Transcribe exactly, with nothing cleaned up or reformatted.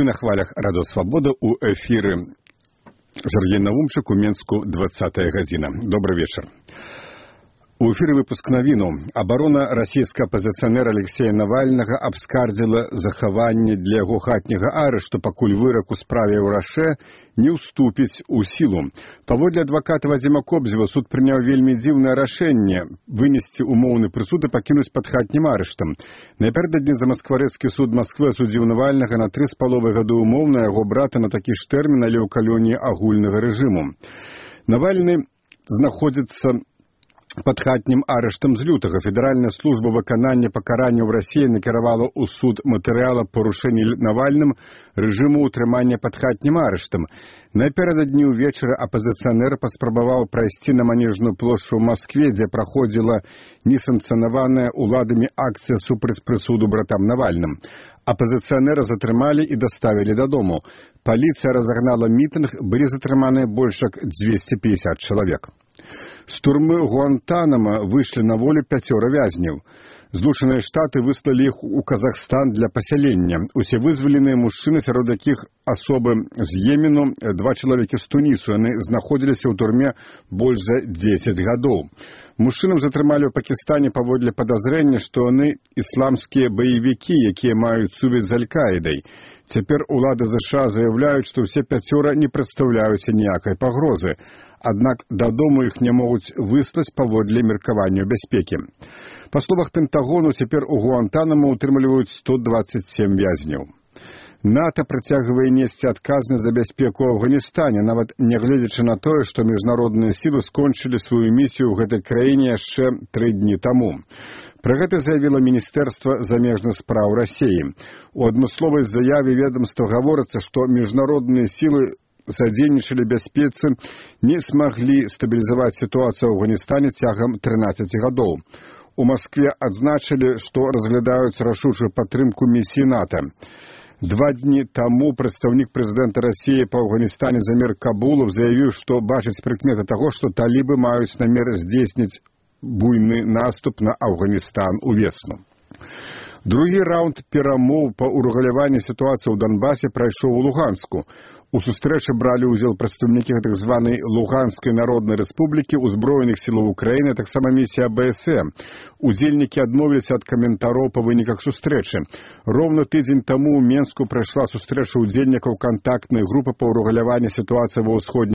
Вы на хвалях Радио Свобода у эфире Сергей Наумчик у Менску двадцатая гадзіна. Добрый вечер. У эфире выпуск навіну. Абарона расійскага апазіцыянера Алексея Навальнага абскардзіла захаванне для яго хатняга арышту, пакуль вырак у справе ў Раше не ўступіць у сілу. Паводле адваката Вадзіма Кобзева, суд прыняў вельмі дзіўнае рашэнне вынесці умоўны прысуд і пакінуць пад хатнім арыштам. Напярэдадні замаскварэцкі суд Масквы асудзіў Навальнага на тры з паловай гады умоўна, яго брата на такі ж тэрмін, але ў калоніі агульнага рэжыму. Навальны знаходзіцца пад хатнім арыштам з лютага. Федэральная служба выканання пакаранняў Расіі накіравала ў суд матэрыяла парушэнні Навальным рэжыму ўтрымання пад хатнім арыштам. Напярэдадні ўвечары апазіцыянер паспрабаваў прайсці на Манежную плошчу ў Маскве, дзе праходзіла несанкцыянаваная ўладамі акцыя супраць прысуду братам Навальным. Апазіцыянера затрымалі і даставілі дадому. Паліцыя разагнала мітынг, былі затрыманыя больш як дзвесце пятьдесят чалавек. З турмы Гуантанамо выйшлі на волю пяцёра вязняў. Злучаныя Штаты выслалі іх у Казахстан для пасялення. Усе вызваленыя мужчыны, сярод якіх асобы з Йемену, два чалавекі з Тунісу. Яны знаходзіліся ў турме больш за дзесяць гадоў. Мужчынам затрымалі ў Пакістане паводле падазрення, што яны ісламскія баевікі, якія маюць сувязь з Аль-Каідай. Цяпер улады ЗША заяўляюць, што ўсе пяцёра не прадстаўляюць ніякай пагрозы. Аднак дадому іх не могуць выслаць паводле меркавання бяспекі. Па словах Пентагону, цяпер у Гуантанамо ўтрымліваюць сто двадцать семь вязняў. НАТО працягвае несці адказнасць за бяспеку ў Афганістане, нават нягледзячы на тое, што міжнародныя сілы скончылі сваю місію ў гэтай краіне яшчэ тры дні таму. Пра гэта заявіла Міністэрства замежных спраў Расіі. У адмысловай заяве ведамства гаворыцца, што міжнародныя сілы задзейнічалі бяспецы, не смаглі стабілізаваць сітуацыю ў Афганістане цягам трынаццаці гадоў. У Маскве адзначылі, што разглядаюць рашучую падтрымку місіі НАТО. Два дні таму прадстаўнік прэзідэнта Расіі па Афганістане Замір Кабулов заявіў, што бачыць прыкметы таго, што талібы маюць намер здзейсніць буйны наступ на Афганістан увесну. Другі раунд перамоў па ўрэгуляванні сітуацыі ў Донбасе прайшоў у Луганску. У сустрэчы бралі ўдзел прадстаўнікі так званай Луганскай народнай рэспублікі, узброеных сілаў Украіны, таксама місія АБСМ. Удзельнікі адмовіліся ад каментароў па выніках сустрэчы. Роўна тыдзень таму ў Менску прайшла сустрэча удзельнікаў кантактнай групы па ўрэгуляванні сітуацыі ва ўсходняй